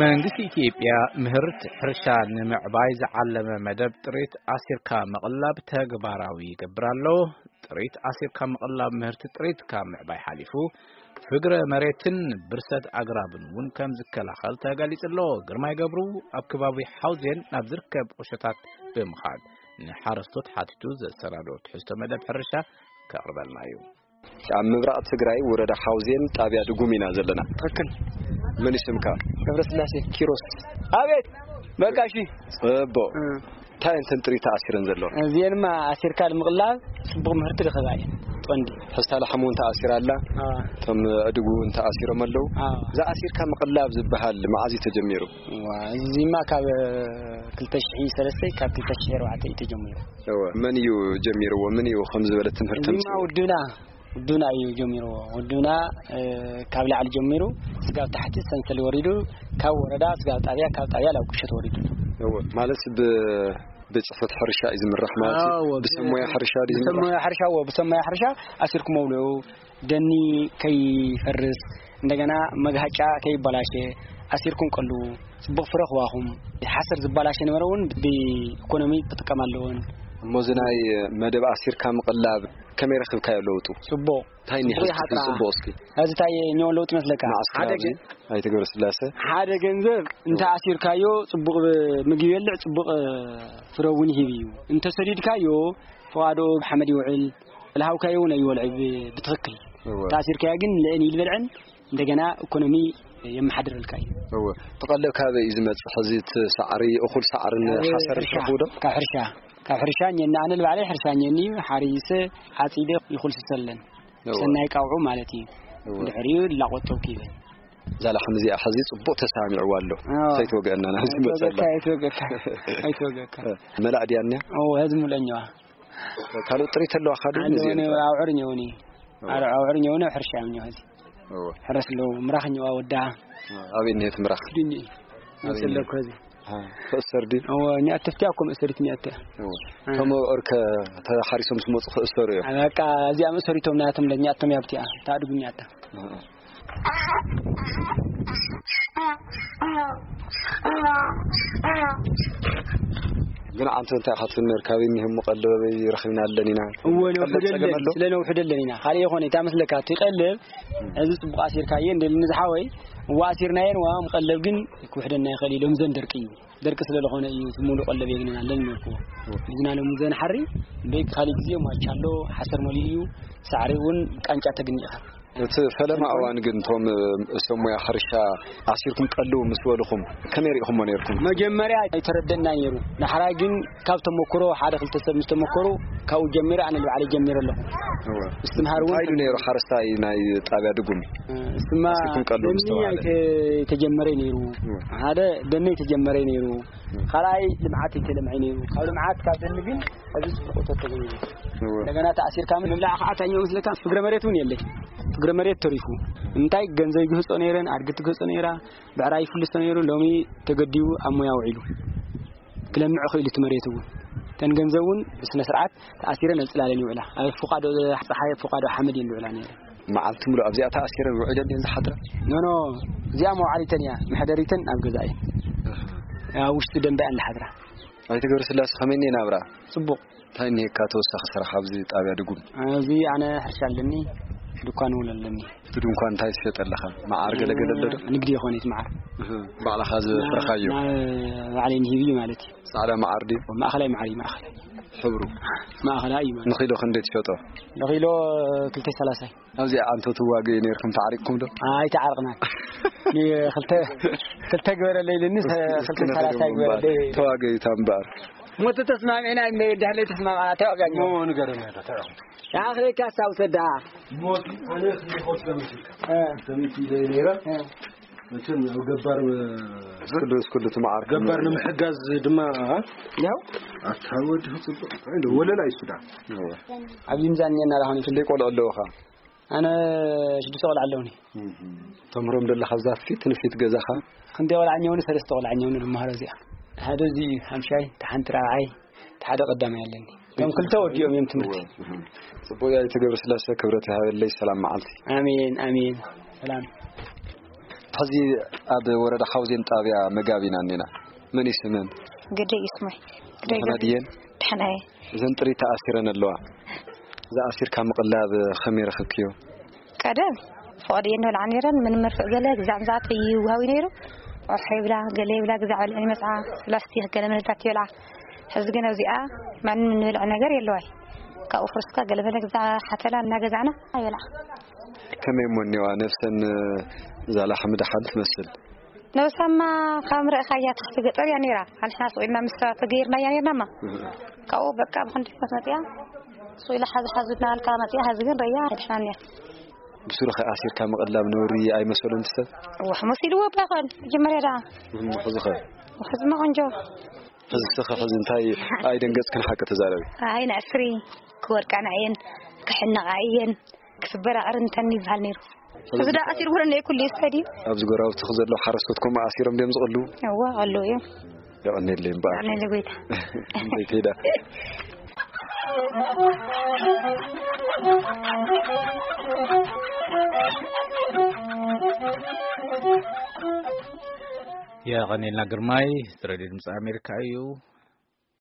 መንግስቲ ኢትዮጵያ ምህርቲ ሕርሻ ንምዕባይ ዝዓለመ መደብ ጥሪት ኣሲርካ ምቕላብ ተግባራዊ ይገብር ኣሎ። ጥሪት ኣሲርካ ምቕላብ ምህርቲ ጥሪት ካብ ምዕባይ ሓሊፉ ፍግረ መሬትን ብርሰት ኣግራብን እውን ከም ዝከላኸል ተገሊጹ ኣሎ። ግርማይ ገብሩ ኣብ ከባቢ ሓውዜን ናብ ዝርከብ ቁሸታት ብምኻድ ንሓረስቶት ሓቲቱ ዘሰናዶ ትሕዝቶ መደብ ሕርሻ ከቕርበልና እዩ። ኣብ ምብራቕ ትግራይ ወረዳ ሓውዜን ጣብያ ድጉም ኢና ዘለና። ትኽክል። መን እዩ ስምካ? ገብረስላሴ ኪሮስ። ኣቤት። በቃ እሺ። ጽቡቕ። እ። እንታይ እንተን ጥሪት ተኣሲረን ዘለዋ? እዚኤንማ ኣሲርካ ንምቕላብ ጽቡቕ ምህርቲ ዝኸባ እየን። ጦንዲ። ሕስታ ላሕሙ እውን ተኣሲራ ኣላ። ኣዎ። እቶም ኣእዱግ እውን ተኣሲሮም ኣለዉ። ኣዎ። እዛ ኣሲርካ ምቕላብ ዝበሃል መዓዝ እዩ ተጀሚሩ? ዋ፣ እዚማ ካብ ክልተ ሽሕ ሰለስተ ካብ ክልተ ሽሕ ኣርባዕተ እዩ ተጀሚሩ። እወ። መን እዩ ጀሚርዎ? ምን እዩ ከም ዝበለ ትምህርቲ እዚማ ተምፅኡ? ውድብና ውዱና እዩ ጀሚርዎ። ውዱና፣ እ፣ ካብ ላዕሊ ጀሚሩ ስጋብ ታሕቲ ሰንሰል ወሪዱ፣ ካብ ወረዳ ስጋብ ጣብያ፣ ካብ ጣብያ ናብ ቁሸት ወሪዱ። እወ፣ ማለት ብ-፣ ቤት ጽሕፈት ሕርሻ እዩ ዝምራሕ ማለት እዩ? ኣዎ፣ ብሰብ ሞያ ሕርሻ ድዩ ዝምራሕ? ብሰብ ሞያ ሕርሻ፣ ኣዎ፣ ብሰብ ሞያ ሕርሻ ኣሲርኩም መውልዑ፣ ደኒ ከይፈርስ፣ እንደገና መግሃጫ ከይበላሸ ኣሲርኩም ቀልዉ፣ ጽቡቕ ፍረ ክዋኹም። ሓሰር ዝበላሸ ነበረ እውን ብኢኮኖሚ ክጥቀም ኣለዎን። እሞ እዚ ናይ መደብ ኣሲርካ ምቕላብ ከመይ ረኺብካዮ ለውጡ? ጽቡቕ። እንታይ እኒሀ ጽቡቕ እስኪ ይሓጥራ። ጽቡቕ እስኪ? ሕዚ እንታይ እኒኦ ለውጢ መስለካ? መዓስ ሓደ ከባቢ? ገ-፣ ኣይተ ገብረስላሰ? ሓደ ገንዘብ እንተ ኣሲርካዮ ጽቡቕ ምግቢ ይበልዕ፣ ጽቡቕ ፍረ እውን ይህብ እዩ። እንተ ሰዲድካዮ፣ ፈቓዶ ሓመድ ይውዕል፣ ለሃውካዮ እውን ኣይወልዕ ብ-፣ ብትኽክል። እወ። ተኣሲርካዮ ግን ልእን ይልበልዕን እንደገና ኢኮኖሚ የመሓድረልካ እዩ። እወ። ትቐለብ ካበይ እዩ ዝመጽእ? ሕዚ እቲ ሳዕሪ፣ እኹል ሳዕርን ኣብ ሓሰርን ሕርሻ፣ ትረኽቡ ዶ? ካብ ሕርሻ፣ ካብ ሕርሻ እኛና፣ ኣነ ንባዕለይ ሕርሻ እኛኒ እዩ፣ ሓሪሰ፣ ዓጺደ ይኹልስሰለን። እወ። ሰናይ ቃውዑ ማለት እዩ። እወ። ድሕሪኡ ላቆጠብኩ ይበል። እዛ ላሕሚ እዚኣ ሕዚ ጽቡቕ ተሰማሚዕዋ ኣሎ። እወ። ከይትወግአና፣ ናብዚ ኣይትወግአካ፣ መጸላ። ኣይትወግአካ፣ ኣይትወግአካ። መላእ ድያ እኒኣ? እወ፣ ሕዚ ሙለኛዋ። ካልኦት ጥሪት ኣለዋ፣ ካልእ ኣለዎ፣ እዚኤን ጥራሕ? ኣውዕር እኒኦኒ። እወ። ኣረ-፣ ኣውዕር እኒኦኒ፣ ሕርሻ እዮም እኒኦ፣ ሕዚ። እወ። ሕረስ ኣለዎ፣ ምራኽ እኒኦ፣ ወዳ። እወ፣ ኣበይ እኒሄት ምራኽ? ክድኒ። ኣበይ መፅለኩ እኒሄት? ሕዚ። አ፣ ክእሰር ድዩ? እወ፣ እኒኣ ተፍትያ እኮ መእሰሪት እኒኣ እተ። እወ። አ። እቶም ኣውዕር ከ ተሓሪሶም ዝመፁ ክእሰሩ እዮም? አ፣ በቃ፣ እዚኣ መእሰሪቶም ናያቶም ለእኛ እቶም ያብትያ፣ ታድጉ እኒኣ እተ። አ፣ አ። ግን ኣንተ እንታይ ኢኻ ትብል ነርካ? ኣበይ እኒሀ እሞ ቀለብ ኣበይ ረኺብና ኣለን ኢና? እወ፣ ቀለብ ነውሕደለን፣ ጸገም ኣሎ? ስለ ነውሕደለን ኢና። ካልእ ይኾነ፣ እታ መስለካ፣ እቲ ቀለብ፣ እዚ ጽቡቕ ኣሲርካየ፣ እንደ ልኒ ዝሓወይ፣ እወ፣ ኣሲርናየን፣ እዋ፣ ቀለብ ግን ክውሕደና ይኽእል እዩ፣ ሎም ዘን ደርቂ እዩ። ደርቂ ስለ ዝኾነ እዩ፣ እቲ ሙሉእ ቀለብ የግንና ኣለን ነርኩዎ። እወ። ልጅና ሎም ዘን ሓሪ፣ በይ፣ ካልእ ግዜ ሟቻ ኣሎ፣ ሓሰር መሊኡ እዩ፣ ሳዕሪ እውን ቃንጫ ተግኒ ኢኻ። እቲ ፈለማ እዋን ግን እቶም፣ እ፣ ሰብ ሞያ ሕርሻ ኣሲርኩም ቀልው ምስ በልኹም ከመይ ርኢኹሞ ነይርኩም? መጀመርያ ኣይተረደእና ነይሩ። ዳሕራይ ግን ካብ ተመክሮ ሓደ ክልተ ሰብ ምስ ተመከሩ ካብኡ ጀሚረ ኣነ ንባዕለይ ጀሚረ ኣለኹ። እወ። ምስትምሃር እውን እንታይ ኢሉ ነይሩ ሓረስታይ ናይ ጣብያ ድጉም? እ፣ እሱማ ኣሲርኩም ቀልው ምስ ደኒ ተባሃለ? ኣይተ-፣ ኣይተጀመረ ነይሩ። እወ። ሓደ ደኒ ኣይተጀመረ ነይሩ። እወ። ካልኣይ ልምዓት ኣይተለምዐ ነይሩ። ካብ ልምዓት ካብ ደኒ ግን ኣብዚ ጽቡቕ እቶት ተገይሩ። እወ። እንደገና ተኣሲርካ ምብላዕ ከዓ እንታይ እኒኦ መስለካ? ፍግረ መሬት እውን የለይ። ፍግረ መሬት ተሪፉ። እንታይ ገንዘብ ይግህጾ ነይረን፣ ኣድጊ ትግህጾ ነይራ፣ ብዕራይ ይፍልሶ ነይሩ፣ ሎሚ ተገዲቡ ኣብ ሞያ ውዒሉ። ክለምዕ ክኢሉ እቲ መሬት እውን። እተን ገንዘብ እውን ብስነ ስርዓት ተኣሲረን ኣብ ጽላለን ይውዕላ። ኣብ ፎቃዶ ጸሓይ፣ ኣብ ፎቃዶ ሓመድ እየን ዝውዕላ ነይረን። መዓልቲ ሙሉእ ኣብዚኣ ተኣሲረን ውዒለን ድየን ዝሓድራ? ኖ፣ ኖ፣ እዚኣ መውዓሊተን እያ፣ መሕደሪተን ኣብ ገዛ እየን። ኣሃ። ኣብ ውሽጢ ደንበ እየን ዝሓድራ። ኣይተ ገብረስላሴ ከመይ እኒአ ናብራ? ጽቡቕ። እንታይ እኒሄካ ተወሳኺ ስራሕ ኣብዚ ጣብያ ድጉም? ኣብዚ ኣነ ሕርሻ ኣለኒ፣ ድኳን እውን ኣለኒ። እቲ ድንኳን እንታይ ትሸጥ ኣለኻ? መዓር ገለገለ ኣሎ ዶ? ንግዲ ይኾነ እቲ መዓር። እህ፣ ባዕልኻ ዘፍረኻዮ? ናብ ባዕለይ ንሂብ እዩ ማለት እዩ። ጻዕዳ መዓር ድዩ? ማእኸላይ መዓር እዩ፣ ማእኸላይ። ሕብሩ? ማእኸላይ እዩ ማለት። ንኪሎ ክንደይ ትሸጦ? ንኪሎ ክልተ ሰላሳ እዩ። ኣብዚኣ ኣንቶ ትዋገዩ ነይርኩም፣ ተዓሪቕኩም ዶ? ኣይተዓርቕናን። ኒ-፣ ክልተ፣ ክልተ ግበረለይ ኢሉኒ፣ እስኪ፣ እስኪ ክልተ ሰላሳ ንኸደሞ ግበረለይ። እምበኣር። ተዋገዩ እታ እምበኣር። ሞት ተስማሚዕና፣ እንደ-፣ እንድሕር ዘይተስማማዕና፣ ተዋጋኝ። ሞ ንገረና ዶ፣ ተዋጋኝ። ንኣኽለይካ ኣስታውሰ ደኣ። ሞት፣ ኣነ ክንዲ ኾት ከምስልካ። እ። ከምቲ ኢለ ነይረ። እ። መቸም ያው ገባር፣ እ፣ እስክሉ፣ እስክሉ ትመዓር ገባር ንምሕጋዝ ድማ፣ እ? ያው። ኣታ ወዲ ጽቡቕ። እንታይ ዶ ወለላ ይሱዳ። እወ። ኣብዚ ምዛን እኒአና ዳኹን። ክንደይ ቆልዑ ኣለውኻ? ኣነ ሽዱሽተ ቆልዓ ኣለውኒ። እህ። ተምህሮም ደለኻ ኣብዛ ፊት ንፊት ገዛኻ? ክንደይ ቆልዓ እኒአውኒ? ሰለስተ ቆልዓ እኒአውኒ ዝመሃሮ እዚኣ። ሓደ እዚ ሓምሻይ፣ እቲ ሓንቲ ራብዓይ፣ እቲ ሓደ ቀዳማይ ኣለኒ። እቶም ክልተ ወዲኦም እዮም ትምህርቲ። ጽቡቅ። ኣይተ ገብረስላሰ፣ ክብረት ይሃበለይ። ሰላም መዓልቲ። ኣሜን፣ ኣሜን። ሰላም። ሕዚ ኣብ ወረዳ ሓውዜን ጣብያ መጋቢና እኒና። መን እዩ ስመን? ግደይ እዩ ስመይ። ግደይ ደህና ድየን? ደህና እየ። እዘን ጥሪት ተኣሲረን ኣለዋ። ዝኣሲርካ ምቕላብ ከመይ ረኸብክዮ? ቀደም ፍቓድ እየን ንበልዓ ነይረን። ምን መርፍእ ገለ ግዛዕ ምዛዕተ ይውሃዊ ነይሩ። ወርሒ ይብላ፣ ገለ ይብላ፣ ግዛዕ በልዕን ይመጽዓ፣ ፕላስቲክ ገለ መለታት ይበልዓ። ሕዚ ግን ኣብዚኣ ማንም ንበልዐ ነገር የለዋይ። ካብኡ ፍርስካ ገለ መለ ግዛዕ ሓተላ እናገዛዕና ይበልዓ። ከመይ እሞ እኒዋ ነፍሰን? እዛ ላሕሚ ደሓን ትመስል። ነብሳማ ካብ ምረእኻያ ትሕቲ ገጠር እያ ነይራ። ኣንሕና ስቕ ኢልና ምስ ሰባት ተገይርና እያ ነይርናማ። ካብኡ በቃ ብኽንዲ መት መፅያ ስቕ ኢላ ሓዚ ሓዙ እናበልካ መፅያ። ሓዚ ግን ረያ ኣይድሕናን እያ። ብሱሩ ኸ ኣሲርካ ምቕላብ ነውሪ ኣይመሰሎን ሰብ? ዋሕ መሲልዎ እባ ይኾን መጀመርያ ደኣ። እም፣ ሕዚ ኸ? ሕዝማ ቆንጆ። ሕዚ ስኸ ሕዚ እንታይ ኣይደንገጽክን ሓቂ ተዛረቢ። ኣይ ንዕስሪ ክወድቃና እየን፣ ክሕነቓ እየን፣ ክስበራቕር እንተን ይበሃል ነይሩ። እዚ ደኣ ኣሲር ውረ ነይ ኩሉ ይስፈዲ። ኣብዚ ጎራውቲ ዘሎ ሓረስቶት ከምኡ ኣሲሮም ድዮም ዝቕሉ? እዋ፣ ቀሉ እዩ። የቐኔለይ እምበኣር። የቐኔለይ ጎይታ። ጎይተይ ዳ። የቐኔልና ግርማይ፣ ሬድዮ ድምፂ ኣሜሪካ እዩ።